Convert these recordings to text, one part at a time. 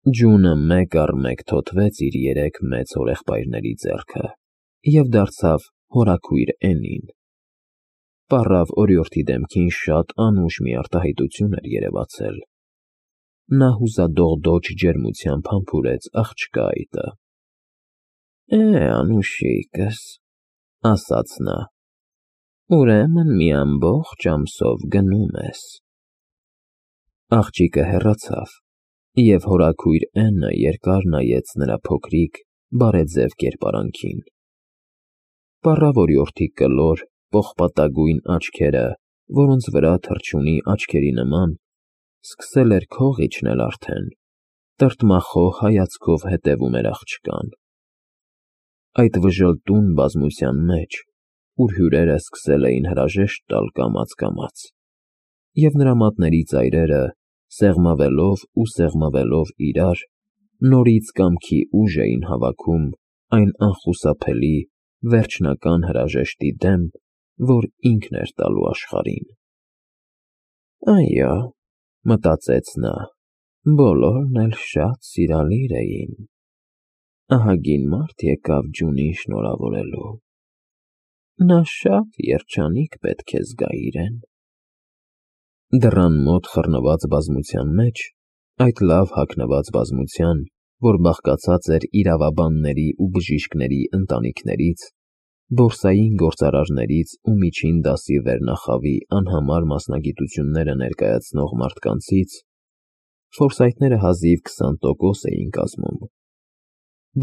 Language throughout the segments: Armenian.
Ջունը մեկ առ մեկ թոթվեց իր երեք մեծ հորեղբայրների ձեռքը և դարձավ հորաքույր Էննին։ Պառավ օրիորդի դեմքին շատ անուշ մի արտահայտություն էր երևացել։ Նա հուսադողդոջ ջերմությամբ համբուրեց աղջկա այտը։ Անուշիկս, ասաց նա, ուրեմն մի ամբողջ ամսով գնում ես։ Աղջիկը հեռացավ, և հորաքույր Էննը երկար նայեց նրա փոքրիկ, բարեձև կերպարանքին։ Պառավ օրիորդի կլոր, պողպատագույն աչքերը, որոնց վրա թռչունի աչքերի նման, սկսել էր քող իջնել արդեն, տրտմախոհ հայացքով հետևում էր աղջկան։ Այդ վժլտուն բազմության մեջ, ուր հյուրերը սկսել էին հրաժեշտ տալ կամաց, և նրա մատների ծայրերը, սեղմավելով ու սեղմվելով իրար, նորից կամքի ուժ էին հավաքում այն անխուսափելի, վերջնական հրաժեշտի դեմ, որ ինքն էր տալու աշխարհին։ Այո, մտածեց նա, բոլորն էլ շատ սիրալիր էին։ Ահագին մարդ եկավ ջունին շնորհավորելու։ Նա շատ երջանիկ պետք է զգա իրեն։ Դռան մոտ խռնված բազմության մեջ, այդ լավ հագնված բազմության, որ բաղկացած էր իրավաբանների ու բժիշկների ընտանիքներից, բորսային գործարարներից ու միջին դասի վերնախավի անհամար մասնագիտությունները ներկայացնող մարդկանցից, ֆորսայթները հազիվ 20% էին կազմում,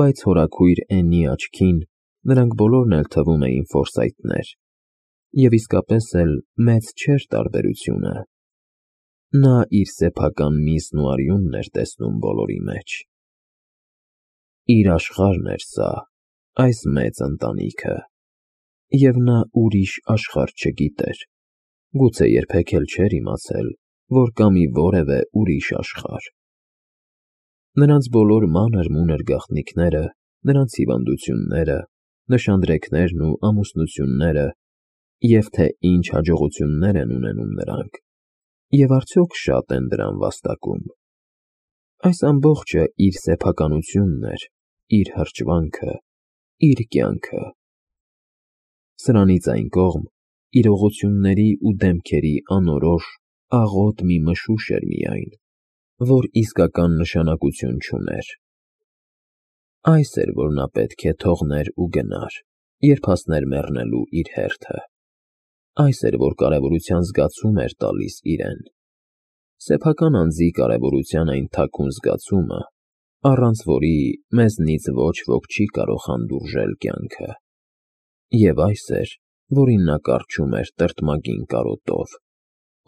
բայց հորաքույր Էննի աչքին նրանք բոլորն էլ թվում էին ֆորսայթներ, և իսկապես էլ մեծ չէր տարբերությունը։ Նա իր սեփական միսն ու արյունն էր տեսնում բոլորի մեջ։ Իր աշխարհն էր սա, այս մեծ ընտանիքը, և նա ուրիշ աշխարհ չգիտեր, գուցե երբեք էլ չէր իմացել, որ կա մի որևէ ուրիշ աշխարհ։ Նրանց բոլոր մանր-մունր գաղտնիքները, նրանց հիվանդությունները, նշանдрեքներն ու ամուսնությունները, և թե ինչ հաջողություններ են ունենում նրանք, և արդյոք շատ են դրան վաստակում։ Այս ամբողջը իր սեփականությունն էր, իր հրճվանքը, իր կյանքը։ Սրանից այն կողմ իրողությունների ու դեմքերի անորոշ, աղոտ մի մշուշ էր միայն, որ իսկական նշանակություն չուներ։ Այս էր, որ նա պետք է թողներ ու գնար, երբ հասներ մեռնելու իր հերթը։ Այս էր, որ կարևորության զգացում էր տալիս իրեն։ Սեփական անձի կարևորության այն թաքուն զգացումը, առանց որի մեզնից ոչ ոք չի կարող հանդուրժել կյանքը։ Եվ այս էր, որին նա կառչում էր տրտմագին կարոտով,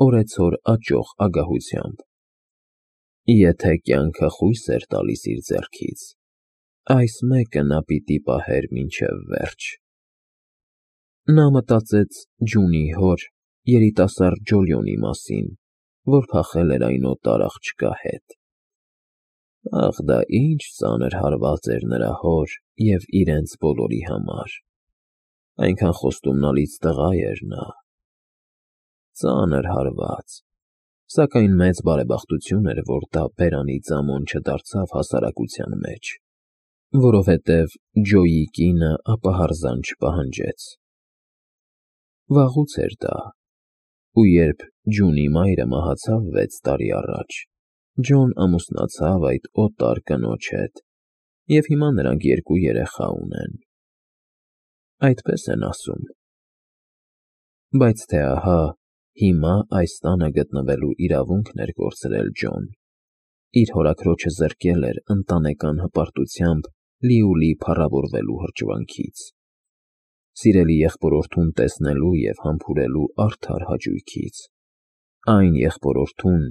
օրեցօր աճող ագահությամբ։ Եթե կյանքը խույս էր տալիս իր ձեռքից, այս մեկը նա պիտի պահեր մինչև վերջ։ Նա մտածեց Ջունի հոր, երիտասարդ Ջոլիոնի մասին, որ փախել էր այն օտար աղջկա հետ։ Ախ, դա ինչ ծանր հարված էր նրա հոր և իրենց բոլորի համար։ Այնքան խոստումնալից տղա էր նա։ Ծանր հարված, սակայն մեծ բարեբախտություն էր, որ դա բերանի ձամոն չդարձավ հասարակության մեջ, որովհետև Ջոյի կինը ապահարզան չպահանջեց։ Վաղուց էր դա, ու երբ Ջունի մայրը մահացավ 6 տարի առաջ, Ջոն ամուսնացավ այդ օտար կնոջ հետ, և հիմա նրանք 2 երեխա ունեն։ Այդպես են ասում։ Բայց թե ահա, հիմա այս տանը գտնվելու իրավունքն էր կորցրել Ջոն, իր հորաքրոջը զրկել էր ընտանեկան հպարտությամբ լիուլի փառավորվելու հրճվանքից, սիրելի եղբորորդուն տեսնելու և համբուրելու արդար հաճույքից, այն եղբորորդուն,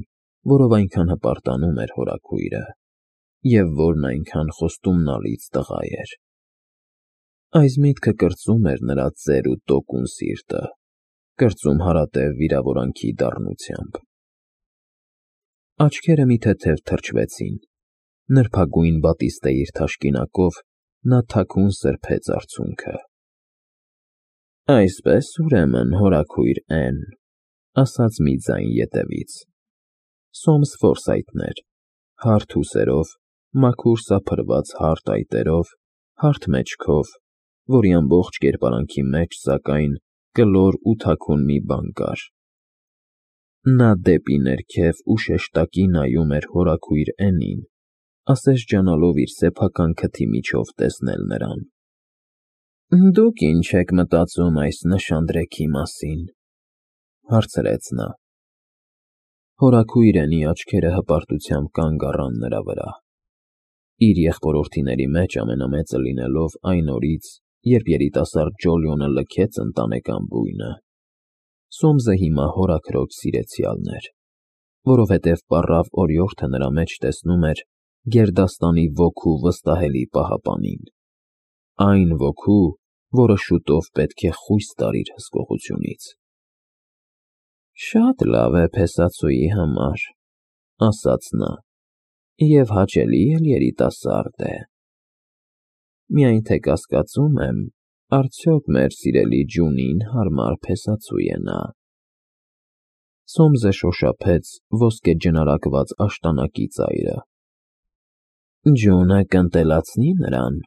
որով այնքան հպարտանում էր հորաքույրը, և որն այնքան խոստումնալից տղա էր։ Այս միտքը կրծում էր նրա ծեր ու տոկուն սիրտը, կրծում հարատև վիրավորանքի դառնությամբ։ Աչքերը մի թեթև թրջվեցին, նրբագույն բատիստեիր թաշկինակով նա թաքուն սրբեց արցունքը։ Այսպես, ուրեմն, հորաքույր Էն, ասաց մի ձայն ետևից, Սոմս Ֆորսայթն էր, հարթ ուսերով, մաքուր սափրված հարթ այտերով, հարթ մեջքով, որի ամբողջ կերպարանքի մեջ, սակայն, կլոր ու թաքուն մի բան կար։ Նա դեպի ներքև ու շեշտակի նայում էր հորաքույր Էնին, ասես ջանալով իր սեփական քթի միջով տեսնել նրան։ «Դուք ինչ եք մտածում այս նշանдрեքի մասին», հարցրեց նա։ Հորաքույր Էնի աչքերը հպարտությամբ կանգ առան նրա վրա։ Իր եղբորորդիների մեջ ամենամեծը լինելով այն օրից, երբ երիտասարդ Ջոլիոնը լքեց ընտանեկան բույնը, Սոմսը հիմա հորաքրոջ սիրեցյալն էր, որովհետև պառավ օրիորդը նրա մեջ տեսնում էր գերդաստանի ոգու վստահելի պահապանին, այն ոգու, որը շուտով պետք է խույս տար իր հսկողությունից։ «Շատ լավ է փեսացուի համար», ասաց նա, «և հաճելի էլ երիտասարդ է։ Միայն թե կասկածում եմ, արդյոք մեր սիրելի Ջունին հարմար փեսացու է նա»։ Սոմսը շոշափեց ոսկեջնարակված աշտանակի ծայրը։ «Ջունը կընտելացնի նրան»,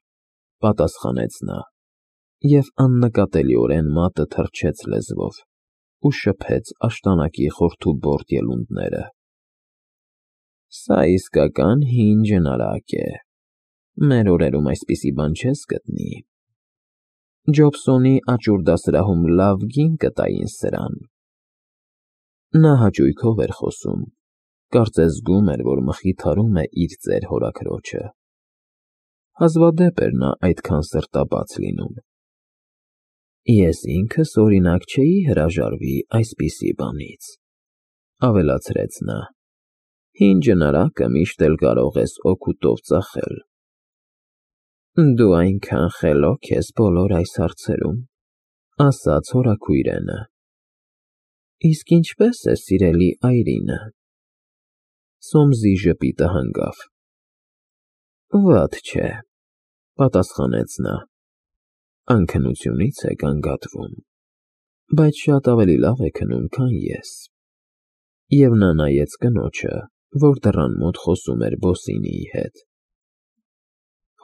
պատասխանեց նա, և աննկատելիորեն մատը թռչեց լեզվով ու շփեց աշտանակի խորթուբորդ ելունդները։ «Սա իսկական հին ջնարակ է, մեր օրերում այսպիսի բան չես գտնի։ Ջոբսոնի աճուր դասարանում լավ գին կտային սրան»։ Նա հաճույքով էր խոսում, կարծես զգում էր, որ մխիթարում է իր ծեր հորաքրոջը։ Հազվադեպ էր նա այդքան սրտաբաց լինում։ «Ես ինքս, օրինակ, չէի հրաժարվի այսպիսի բանից», ավելացրեց նա։ «Հին ջնարակը միշտ էլ կարող ես օգուտով ծախել»։ «Դու այնքան խելոք ես բոլոր այս հարցերում», ասաց հորաքույր Էնը։ «Իսկ ինչպե՞ս է սիրելի այրինը»։ Սոմսի ժպիտը հանգավ։ «Վատ չէ», պատասխանեց նա, «անքնությունից է գանգատվում, բայց շատ ավելի լավ է քնում, քան ես»։ Եվ նա նայեց կնոջը, որ դռան մոտ խոսում էր Բոսինիի հետ։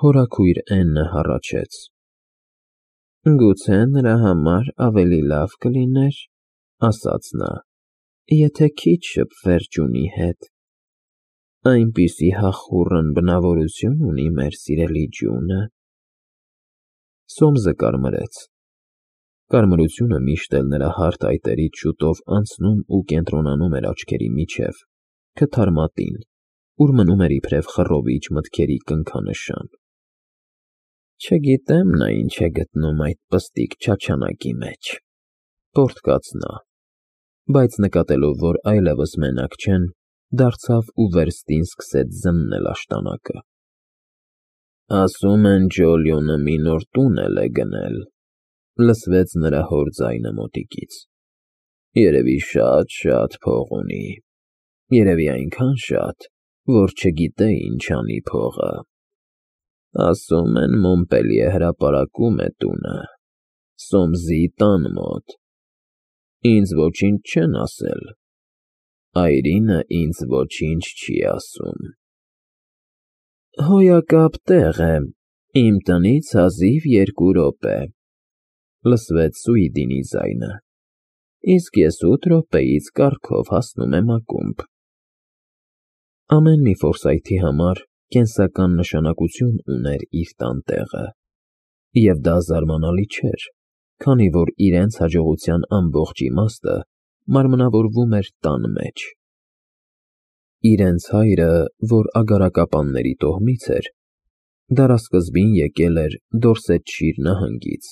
Հորաքույր Էնը հառաչեց. «Գուցե նրա համար ավելի լավ կլիներ, ասաց նա, եթե քիչ շփվեր Ջունի հետ։ Այնպիսի հախուռն բնավորություն ունի մեր սիրելի Ջունը»։ Սոմսը կարմրեց։ Կարմրությունը միշտ էլ նրա հարթ այտերից շուտով անցնում ու կենտրոնանում էր աչքերի միջև, քթարմատին, ուր մնում էր իբրև խռովիչ մտքերի կնքանշան։ «Չգիտեմ նա ինչ է գտնում այդ պստիկ չաչանակի մեջ», պոռթկաց նա, բայց նկատելով, որ այլևս մենակ չեն, դարձավ ու վերստին սկսեց զննել աշտանակը։ «Ասում են Ջոլիոնը մի նոր տուն էլ է գնել», լսվեց նրա հոր ձայնը մոտիկից։ «Երևի շատ փող ունի, երևի այնքան շատ, որ չգիտե ինչ անի փողը։ Ասում են Մոնպելիե հրապարակում է տունը, Սոմսի տան մոտ։ Ինձ ոչինչ չեն ասել, այրինը ինձ ոչինչ չի ասում»։ «Հոյակապ տեղ է, իմ տնից հազիվ 2 րոպե», լսվեց Սուիդինի ձայնը, «իսկ ես 8 րոպեից կառքով հասնում եմ ակումբ»։ Ամեն մի Ֆորսայթի համար կենսական նշանակություն ուներ իր տան տեղը, և դա զարմանալի չէր, քանի որ իրենց հաջողության ամբողջ իմաստը մարմնավորվում էր տան մեջ։ Իրենց հայրը, որ ագարակապանների տոհմից էր, դարասկզբին եկել էր Դորսեթշիր նահանգից։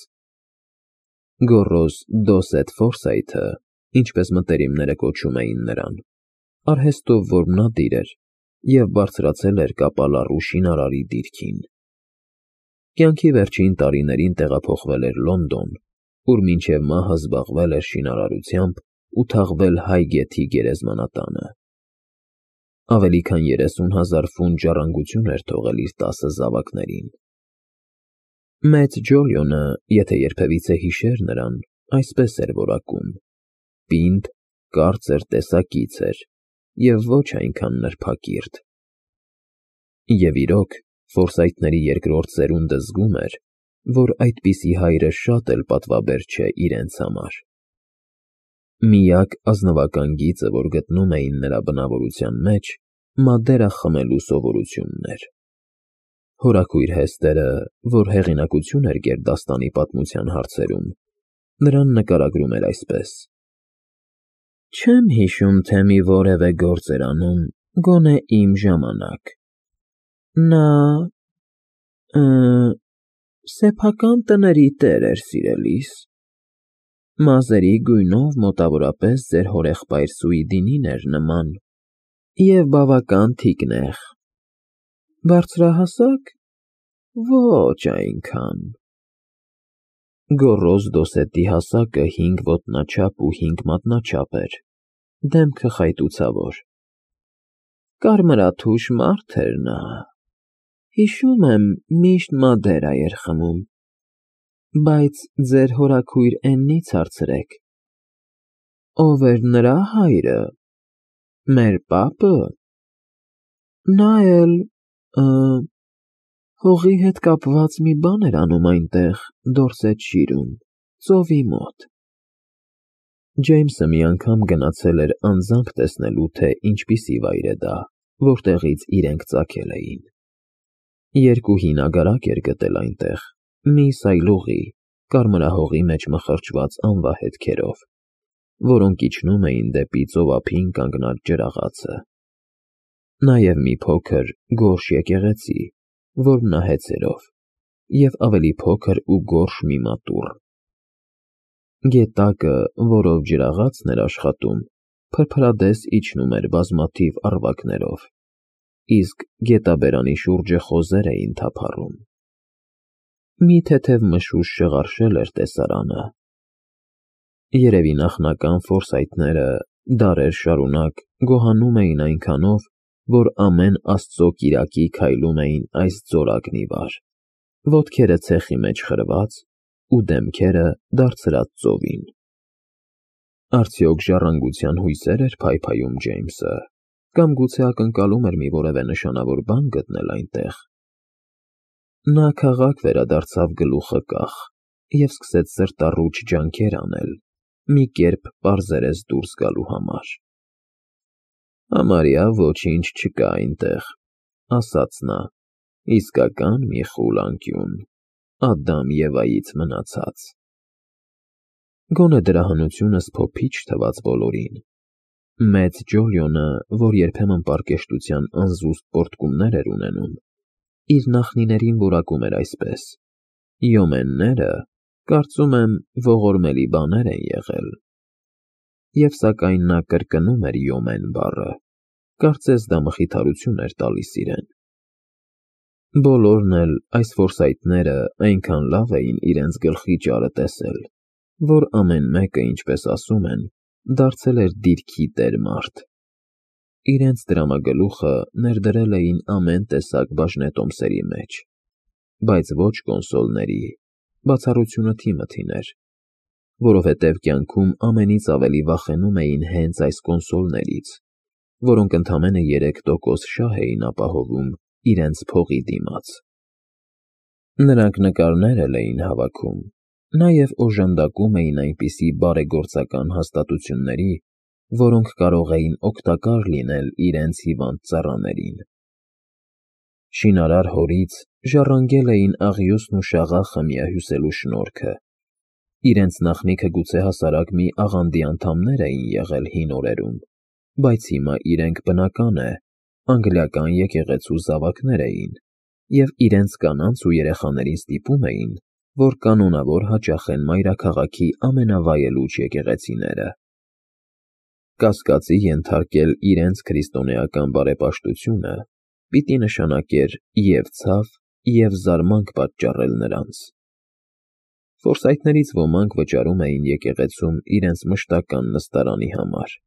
Գոռոզ Դոսեթ Ֆորսայթը, ինչպես մտերիմները կոչում էին նրան, արհեստով որմնադիր էր և բարձրացել էր կապալառու շինարարի դիրքին։ Կյանքի վերջին տարիներին տեղափոխվել էր Լոնդոն, ուր մինչև մահը զբաղվել էր շինարարությամբ ու թաղվել Հայ գեթի գերեզմանատանը։ Ավելի քան 30,000 ֆունտ ժառանգություն էր թողել իր 10 զավակներին։ Մեծ Ջոլիոնը, եթե երբևիցե հիշեր նրան, այսպես էր որակում. պինդ, կարծր տեսակից էր և ոչ այնքան նրբակիրթ։ Եվ իրոք, Ֆորսայթների երկրորդ սերունդը զգում էր, որ այդպիսի հայրը շատ էլ պատվաբեր չէ իրենց համար։ Միակ ազնվական գիծը, որ գտնում էին նրա բնավորության մեջ, մադերա խմելու սովորությունն էր։ Հորաքույր Հեստերը, որ հեղինակություն էր գերդաստանի պատմության հարցերում, նրան նկարագրում էր այսպես. «Չեմ հիշում, թե մի որևէ գործ էր անում, գոնե իմ ժամանակ։ Նա սեփական տների տեր էր, սիրելիս, մազերի գույնով մոտավորապես ձեր հորեղբայր Սուիդինին էր նման և բավական թիկնեղ, բարձրահասակ, ոչ այնքան։ Գոռոզ Դոսետի հասակը 5 ոտնաչափ ու 5 մատնաչափ էր, դեմքը խայտուցավոր։ Կարմրաթուշ մարդ էր նա, հիշում եմ, միշտ մադերա էր խմում, բայց ձեր հորաքույր Էննից հարցրեք, ով էր նրա հայրը, մեր պապը, նա էլ հողի հետ կապված մի բան էր անում այնտեղ, Դորսետ շիրում, ծովի մոտ»։ Ջեյմսը մի անգամ գնացել էր անձամբ տեսնելու, թե ինչպիսի վայր է դա, որտեղից իրենք ծագել էին։ Երկու հին ագարակ էր գտել այնտեղ, մի սայլուղի, կարմրահողի մեջ մխրճված անվա հետքերով, որոնք իջնում էին դեպի ծովափին կանգնած ջրաղացը։ Նաև մի փոքր, գորշ եկեղեցի, որն նա հեծերով, և ավելի փոքր ու գորշ մի մատուռ։ Գետակը, որով ջրաղացն էր աշխատում, փրփրադես իջնում էր բազմաթիվ առվակներով, իսկ գետաբերանի շուրջը խոզեր էին թափառում։ Մի թեթև մշուշ շղարշել էր տեսարանը։ Երևի նախնական Ֆորսայթները դարեր շարունակ գոհանում էին այնքանով, որ ամեն Աստծո կիրակի քայլում էին այս ձորակն ի վար, ոտքերը ցեխի մեջ խրված ու դեմքերը դարձրած ծովին։ Արդյոք ժառանգության հույսե՞ր էր փայփայում Ջեյմսը, կամ գուցե ակնկալում էր մի որևէ նշանավոր բան գտնել այնտեղ։ Նա քաղաք վերադարձավ գլուխը կախ և սկսեց սրտառուչ ջանքեր անել, մի կերպ պարզերես դուրս գալու համար։ «Համարյա ոչինչ չկա այնտեղ», ասաց նա, «իսկական մի խուլ անկյուն, Ադամ Եվայից մնացած»։ Գոնե դրա հնությունը սփոփիչ թվաց բոլորին։ Մեծ Ջոլիոնը, որ երբեմն պարկեշտության անզուսպ պոռթկումներ էր ունենում, իր նախնիներին որակում էր այսպես. «Յոմենները, կարծում եմ, ողորմելի բաներ են եղել»։ Եվ սակայն նա կրկնում էր յոմեն բառը, կարծես դա մխիթարություն էր տալիս իրեն։ Բոլորն էլ, այս Ֆորսայթները, այնքան լավ էին իրենց գլխի ճարը տեսել, որ ամեն մեկը, ինչպես ասում են, դարձել էր դիրքի տեր մարդ։ Իրենց դրամագլուխը ներդրել էին ամեն տեսակ բաժնետոմսերի մեջ, բայց ոչ կոնսոլների, բացառությունը Թիմոթին էր, որովհետև կյանքում ամենից ավելի վախենում էին հենց այս կոնսոլներից, որոնք ընդամենը 3% շահ էին ապահովում իրենց փողի դիմաց։ Նրանք նկարներ էլ էին հավաքում, նաև օժանդակում էին այնպիսի բարեգործական հաստատությունների, որոնք կարող էին օգտակար լինել իրենց հիվանդ ծառաներին։ Շինարար հորից ժառանգել էին աղյուսն ու շաղախը միահյուսելու շնորհքը։ Իրենց նախնիքը գուցե հասարակ մի աղանդի անդամներ էին եղել հին օրերում, բայց հիմա իրենք, բնական է, անգլիական եկեղեցու զավակներ էին և իրենց կանանց ու երեխաներին ստիպում էին, որ կանոնավոր հաճախեն մայրաքաղաքի ամենավայելուչ եկեղեցիները։ Կասկածի ենթարկել իրենց քրիստոնեական բարեպաշտությունը պիտի նշանակեր և ցավ, և զարմանք պատճառել նրանց։ Ֆորսայթներից ոմանք վճարում էին եկեղեցում իրենց մշտական նստարանի համար,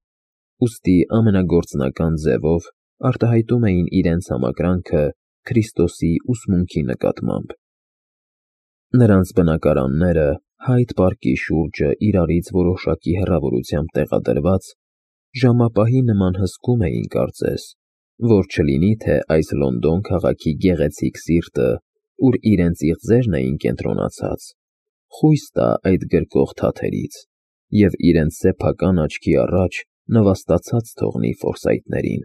ուստի ամենագործնական ձևով արտահայտում էին իրենց համակրանքը Քրիստոսի ուսմունքի նկատմամբ։ Նրանց բնակարանները Հայդ պարկի շուրջը իրարից որոշակի հեռավորությամբ տեղադրված, ժամապահի նման հսկում էին կարծես, որ չլինի թե այս Լոնդոն քաղաքի գեղեցիկ սիրտը, ուր իրենց իղձերն էին կենտրոնացած, խույս տա այդ գրկող թաթերից և իրենց սեփական աչքի առաջ նվաստացած թողնի Ֆորսայթներին։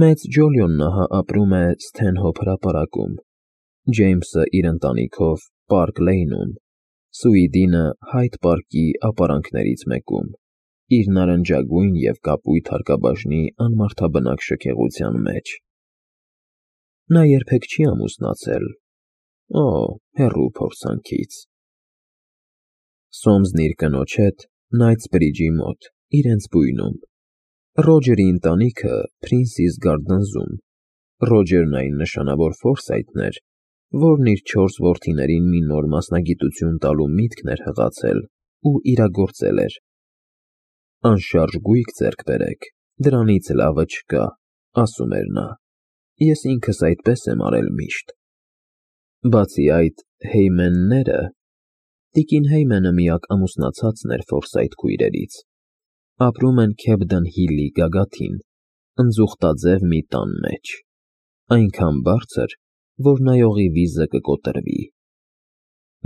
Մեծ Ջոլիոնն ահա ապրում է Սթենհոփ հրապարակում, Ջեյմսը իր ընտանիքով Պարկ Լեյնում, Սուիդինը Հայդ Պարկի ապարանքներից մեկում, իր նարնջագույն և կապույտ հարկաբաժնի անմարդաբնակ շքեղության մեջ։ Նա երբեք չի ամուսնացել, օ, հեռու փորձանքից։ Սոմսն իր կնոջ հետ Նայթսբրիջի մոտ, իրենց բույնում, Ռոջերի ընտանիքը Փրինսիս Գարդնզում, Ռոջերն այն նշանավոր Ֆորսայթն էր, որն իր 4 որդիներին մի նոր մասնագիտություն տալու միտքն էր հղացել ու իրագործել էր։ Անշարժ գույք ձեռք բերեք, դրանից լավը չկա, ասում էր նա, ես ինքս այդպես եմ արել միշտ։ Բացի այդ, Հեյմենները, տիկին Հեյմենը միակ ամուսնացածն էր Ֆորսայթ քույրերից, ապրում են Քեբդեն Հիլի գագաթին, ընձուղտաձև մի տան մեջ, այնքան բարձր, որ նայողի վիզը կկոտրվի։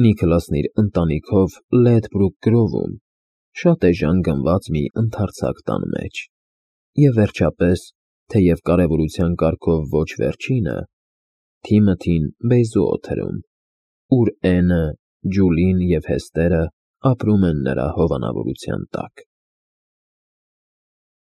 Նիքլասն իր ընտանիքով Լեդբրուք գրովում, շատ էժան գնված մի ընդարձակ տան մեջ, և վերջապես, թեև կարևորության կարգով ոչ վերջինը, Թիմոթին Բեյզու օթերում, ուր Էնը, Ջուլին և Հեստերը ապրում են նրա հովանավորության տակ։